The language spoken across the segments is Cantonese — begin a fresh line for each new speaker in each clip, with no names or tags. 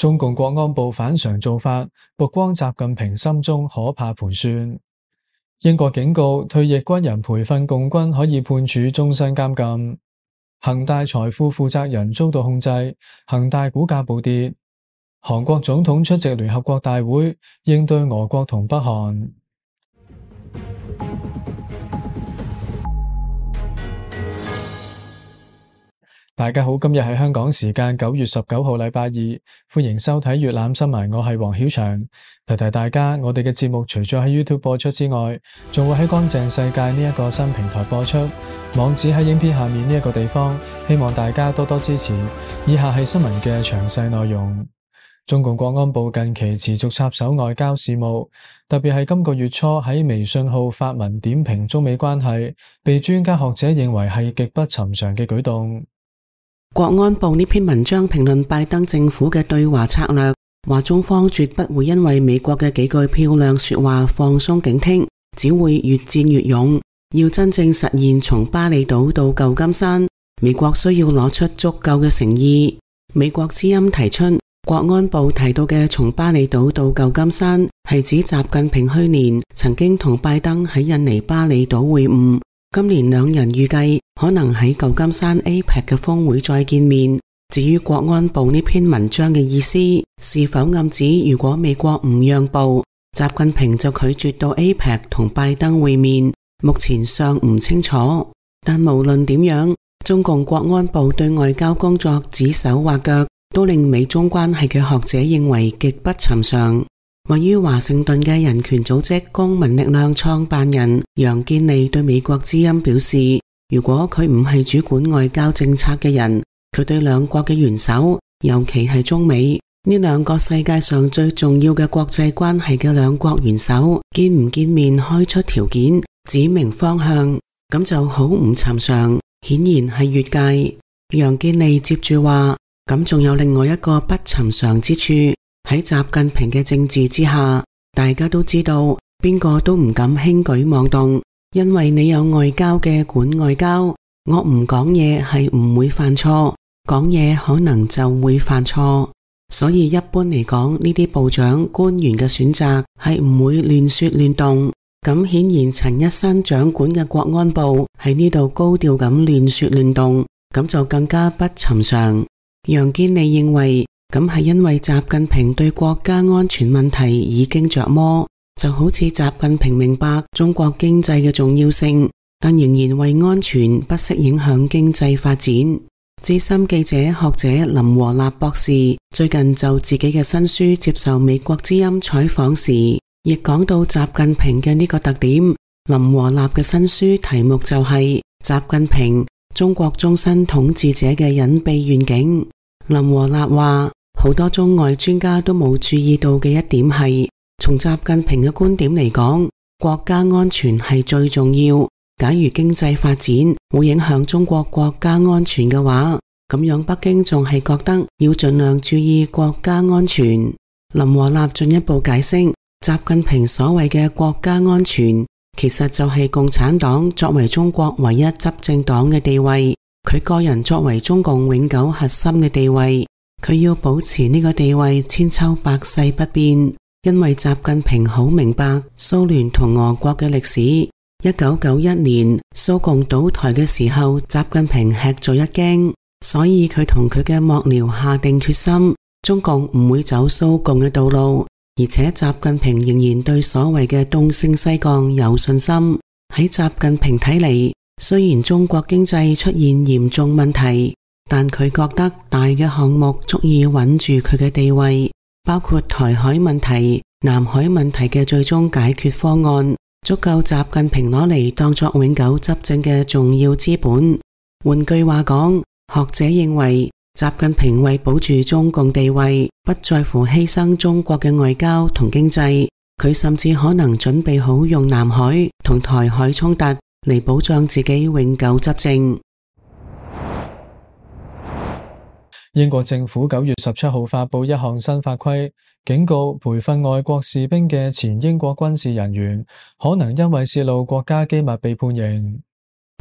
中共國安部反常做法，曝光習近平心中可怕盤算。英國警告退役軍人培訓共軍可以判處終身監禁。恒大財富負責人遭到控制，恒大股價暴跌。韓國總統出席聯合國大會，應對俄國同北韓。大家好，今日係香港時間9月19號禮拜二，歡迎收睇粵覽新聞，我係黃曉翔。提提大家，我哋嘅節目除咗喺 YouTube 播出之外，仲會喺乾淨世界呢一個新平台播出，網址喺影片下面呢一個地方，希望大家多多支持。以下係新聞嘅詳細內容。中共國安部近期持續插手外交事務，特別係今個月初喺微信號發文點評中美關係，被專家學者認為係極不尋常嘅舉動。
國安部呢篇文章評論拜登政府嘅對華策略，話中方絕不會因為美國嘅幾句漂亮說話放鬆警惕，只會越戰越勇。要真正實現從巴厘島到舊金山，美國需要攞出足夠嘅誠意。美國之音提出，國安部提到嘅從巴厘島到舊金山，係指習近平去年曾經同拜登喺印尼巴厘島會晤。今年兩人預計可能喺舊金山 APEC 嘅峰會再見面。至於國安部呢篇文章嘅意思，是否暗指如果美國唔讓步，習近平就拒絕到 APEC 同拜登會面，目前尚唔清楚。但無論點樣，中共國安部對外交工作指手畫腳，都令美中關係嘅學者認為極不尋常。位於華盛頓嘅人權組織公民力量創辦人楊建利對美國之音表示，如果佢唔係主管外交政策嘅人，佢對兩國嘅元首，尤其係中美呢兩個世界上最重要嘅國際關係嘅兩國元首，見唔見面開出條件，指明方向，咁就好唔尋常，顯然係越界。楊建利接住話，咁仲有另外一個不尋常之處。喺習近平嘅政治之下，大家都知道邊個都唔敢輕舉妄動，因為你有外交嘅管外交，我唔講嘢係唔會犯錯，講嘢可能就會犯錯。所以一般嚟講，呢啲部長官員嘅選擇係唔會亂說亂動。咁顯然陳一新掌管嘅國安部喺呢度高調咁亂說亂動，咁就更加不尋常。楊建利認為，咁係因為習近平對國家安全問題已經着魔，就好似習近平明白中國經濟嘅重要性，但仍然為安全不惜影響經濟發展。資深記者學者林和立博士最近就自己嘅新書接受美國之音採訪時，亦講到習近平嘅呢個特點。林和立嘅新書題目就係習近平中國終身統治者嘅隱秘願景。林和立話，好多中外專家都冇注意到嘅一點係，從習近平嘅觀點嚟講，國家安全係最重要。假如經濟發展會影響中國國家安全嘅話，咁樣北京仲係覺得要盡量注意國家安全。林和立進一步解釋，習近平所謂嘅國家安全，其實就係共產黨作為中國唯一執政黨嘅地位，佢個人作為中共永久核心嘅地位，佢要保持呢個地位千秋百世不變。因為習近平好明白蘇聯同俄國嘅歷史。1991年蘇共倒台嘅時候，習近平吃咗一驚，所以佢同佢嘅幕僚下定決心，中共唔會走蘇共嘅道路。而且習近平仍然對所謂嘅東升西降有信心。喺習近平睇嚟，雖然中國經濟出現嚴重問題，但佢覺得大嘅項目足以穩住佢嘅地位，包括台海問題、南海問題嘅最終解決方案，足夠習近平攞嚟當作永久執政嘅重要資本。換句話講，學者認為習近平為保住中共地位，不在乎犧牲中國嘅外交同經濟，佢甚至可能準備好用南海同台海衝突嚟保障自己永久執政。
英國政府9月17號發布一項新法規，警告培訓外國士兵嘅前英國軍事人員可能因為泄露國家機密被判刑。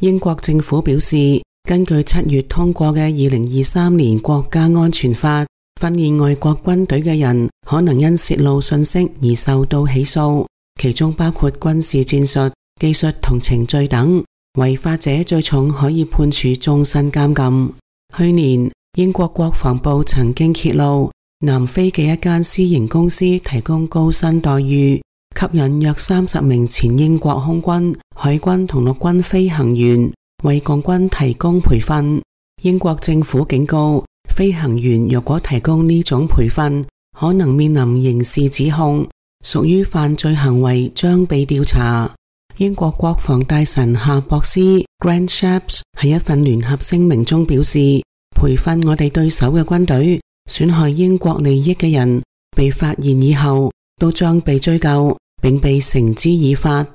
英國政府表示，根據7月通過嘅2023年國家安全法，訓練外國軍隊嘅人可能因洩露信息而受到起訴，其中包括軍事戰術、技術同程序等。違法者最重可以判處終身監禁。去年，英國國防部曾經揭露，南非嘅一間私營公司提供高薪待遇，吸引約30名前英國空軍、海軍同陸軍飛行員為共軍提供培訓。英國政府警告，飛行員若果提供呢種培訓，可能面臨刑事指控，屬於犯罪行為，將被調查。英國國防大臣夏博斯 Grant Shapps 喺一份聯合聲明中表示，培訓我哋對手嘅軍隊損害英國利益嘅人被發現以後都將被追究並被繩之以法。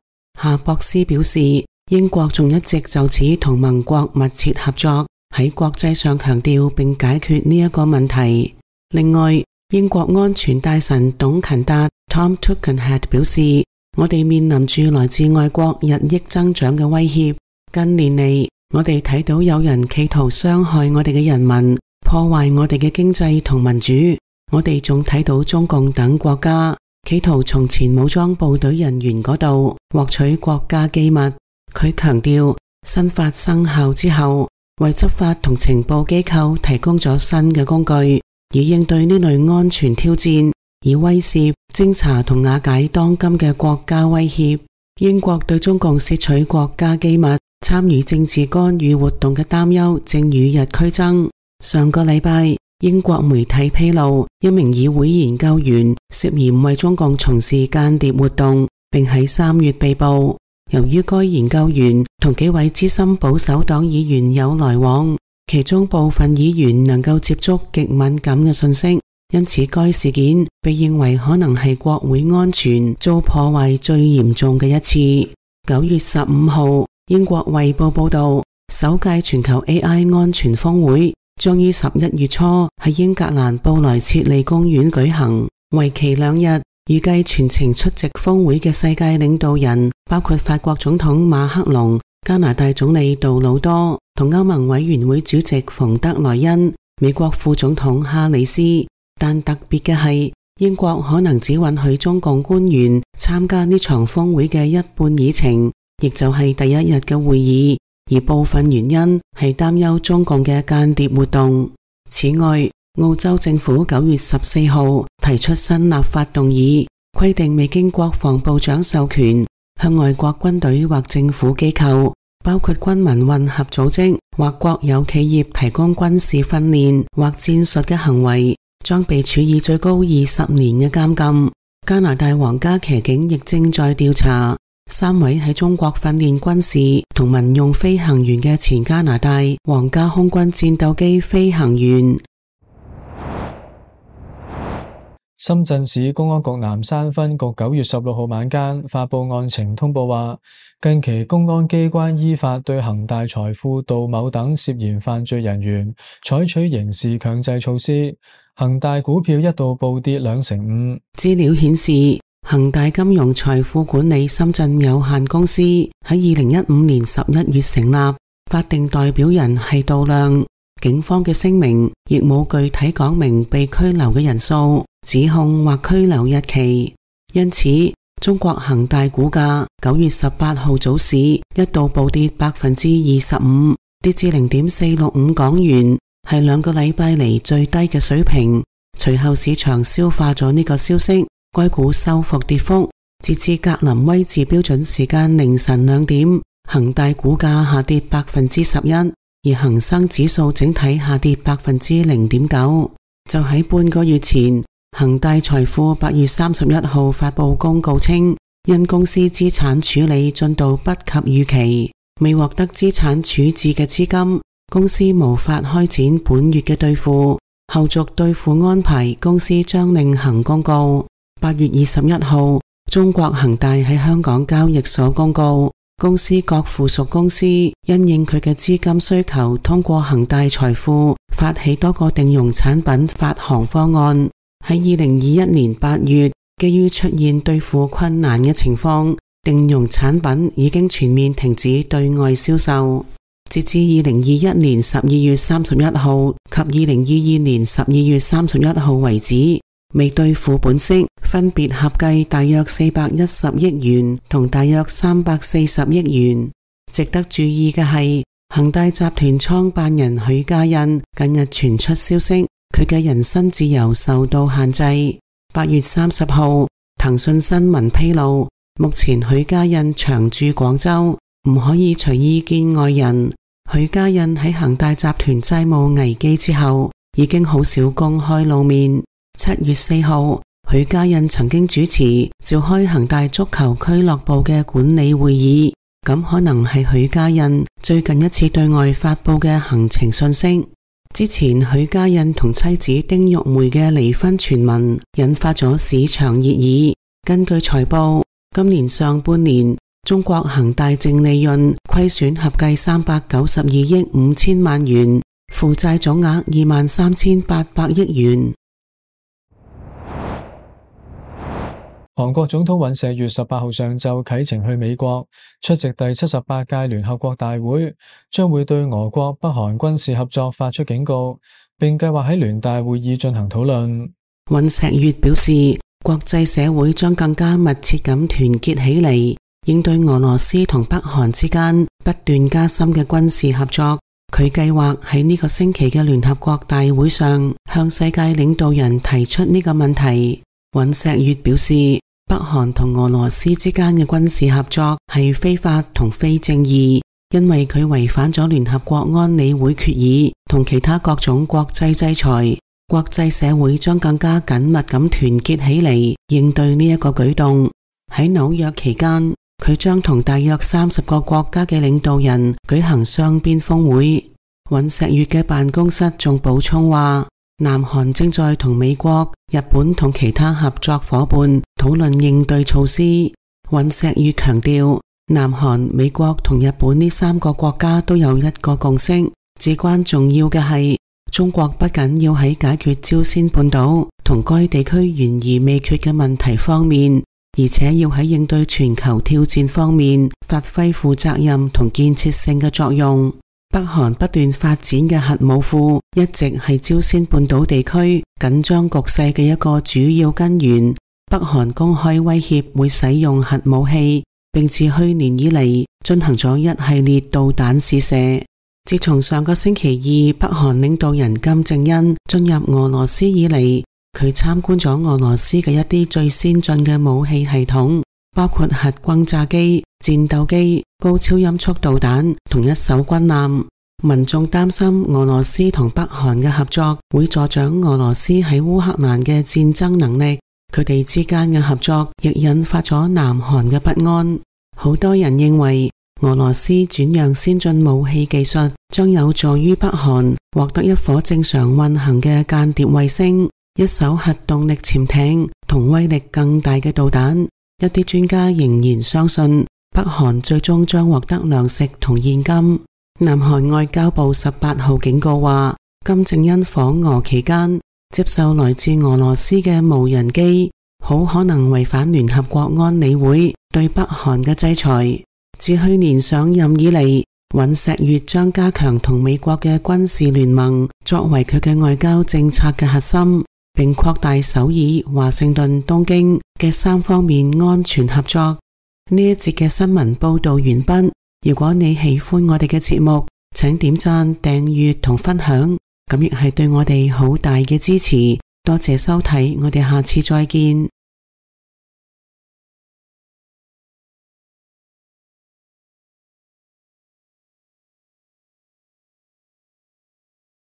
夏博斯表示，英國仲一直就此同盟國密切合作，喺國際上強調並解決呢一個問題。另外，英國安全大臣董勤達 Tom Tugendhat 表示，我哋面臨住來自外國日益增長嘅威脅。近年嚟，我哋睇到有人企圖傷害我哋嘅人民，破壞我哋嘅經濟同民主。我哋仲睇到中共等國家企圖從前武裝部隊人員嗰度獲取國家機密。佢強調，新法生效之後，為執法同情報機構提供咗新嘅工具，以應對呢類安全挑戰，以威懾、偵查同瓦解當今嘅國家威脅。英國對中共竊取國家機密、參與政治干預活動嘅擔憂正與日俱增。上個禮拜，英國媒體披露，一名議會研究員涉嫌為中共從事間諜活動，並喺3月被捕。由於該研究員同幾位資深保守黨議員有來往，其中部分議員能夠接觸極敏感嘅信息，因此該事件被認為可能係國會安全遭破壞最嚴重嘅一次。9月15號，英國衛報報道，首屆全球 AI 安全峰會將於11月初喺英格蘭布萊切利公園舉行，為期2日。預計全程出席峰會嘅世界領導人包括法國總統馬克龍、加拿大總理杜魯多同歐盟委員會主席馮德萊恩、美國副總統哈里斯。但特別嘅係，英國可能只允許中共官員參加呢場峰會嘅一半議程，亦就係第一日嘅會議，而部分原因係擔憂中共嘅間諜活動。此外，澳洲政府9月14號提出新立法動議，規定未經國防部長授權，向外國軍隊或政府機構，包括軍民混合組織或國有企業提供軍事訓練或戰術嘅行為，將被處以最高20年嘅監禁。加拿大皇家騎警亦正在調查3位喺中國訓練軍事同民用飛行員嘅前加拿大皇家空軍戰鬥機飛行員。
深圳市公安局南山分局9月16號晚間發佈案情通報話，近期公安機關依法對恒大財富、杜某等涉嫌犯罪人員採取刑事強制措施，恒大股票一度暴跌2.5%。
資料顯示，恒大金融財富管理深圳有限公司喺2015年11月成立，法定代表人係杜亮。警方嘅聲明亦冇具體講明被拘留嘅人數、指控或拘留日期，因此中國恒大股價9月18號早市一度暴跌25%，跌至0.465港元，係2個禮拜嚟最低嘅水平。隨後市場消化咗呢個消息，該股收復跌幅，截至格林威治標準時間凌晨2點，恒大股價下跌11%，而恒生指數整體下跌0.9%。就喺半個月前，恒大財富8月31號發佈公告稱，因公司資產處理進度不及預期，未獲得資產處置嘅資金，公司無法開展本月嘅兌付，後續兌付安排公司將另行公告。8月21號，中國恒大喺香港交易所公告，公司各附屬公司因應佢嘅資金需求，通過恒大財富發起多個定融產品發行方案。喺2021年8月，基於出現兌付困難嘅情況，定融產品已經全面停止對外銷售。截至2021年12月31號及2022年12月31號為止，未兌付本息分別合計大約410億元同大約340億元。值得注意嘅係，恒大集團創辦人許家印近日傳出消息，佢嘅人身自由受到限制。8月30號，騰訊新聞披露，目前許家印長駐廣州，唔可以隨意見外人。許家印喺恒大集團債務危機之後，已經好少公開露面。7月4號，許家印曾經主持召開恒大足球俱樂部嘅管理會議，咁可能係許家印最近一次對外發佈嘅行程信息。之前許家印同妻子丁玉梅嘅離婚傳聞引發咗市場熱議。根據財報，今年上半年中國恒大淨利潤虧損合計392億5千萬元，負債總額23,800億元。
韓國總統尹錫悅18號上晝啟程去美國出席第78屆聯合國大會，將會對俄國北韓軍事合作發出警告，並計劃喺聯大會議進行討論。
尹錫悅表示，國際社會將更加密切咁團結起嚟，應對俄羅斯同北韓之間不斷加深嘅軍事合作。佢計劃喺呢個星期嘅聯合國大會上向世界領導人提出呢個問題。尹錫悅表示，北韓同俄羅斯之間嘅軍事合作係非法同非正義，因為佢違反咗聯合國安理會決議同其他各種國際制裁。國際社會將更加緊密咁團結起嚟，應對呢一個舉動。喺紐約期間，佢將同大約30個國家嘅領導人舉行雙邊峰會。尹錫悅嘅辦公室仲補充話，南韓正在同美國、日本同其他合作伙伴討論應對措施。尹錫悅強調，南韓、美國同日本呢3個國家都有一個共識，至關重要嘅係，中國不僅要喺解決朝鮮半島同該地區懸而未決嘅問題方面，而且要喺應對全球挑戰方面發揮負責任同建設性嘅作用。北韓不斷發展嘅核武庫一直係朝鮮半島地區緊張局勢嘅一個主要根源。北韓公開威脅會使用核武器，並自去年以嚟進行咗一系列導彈試射。自從上個星期二北韓領導人金正恩進入俄羅斯以嚟，佢參觀咗俄羅斯嘅一啲最先進嘅武器系統，包括核轟炸機、戰鬥機、高超音速導彈同一艘軍艦。民眾擔心俄羅斯同北韓嘅合作會助長俄羅斯喺烏克蘭嘅戰爭能力，佢哋之間嘅合作亦引發咗南韓嘅不安。好多人認為俄羅斯轉讓先進武器技術將有助於北韓獲得一顆正常運行嘅間諜衛星、一艘核動力潛艇同威力更大嘅導彈。一啲專家仍然相信北韓最終將獲得糧食同現金。南韓外交部18號警告話，金正恩訪俄期間接受來自俄羅斯嘅無人機，好可能違反聯合國安理會對北韓嘅制裁。自去年上任以嚟，尹錫悅將加強同美國嘅軍事聯盟作為佢嘅外交政策嘅核心，並擴大首爾、華盛頓、東京嘅3方面安全合作。呢一節嘅新聞報道完畢。如果你喜歡我哋嘅節目，請點讚、訂閱同分享，咁亦係對我哋好大嘅支持。多謝收睇，我哋下次再見。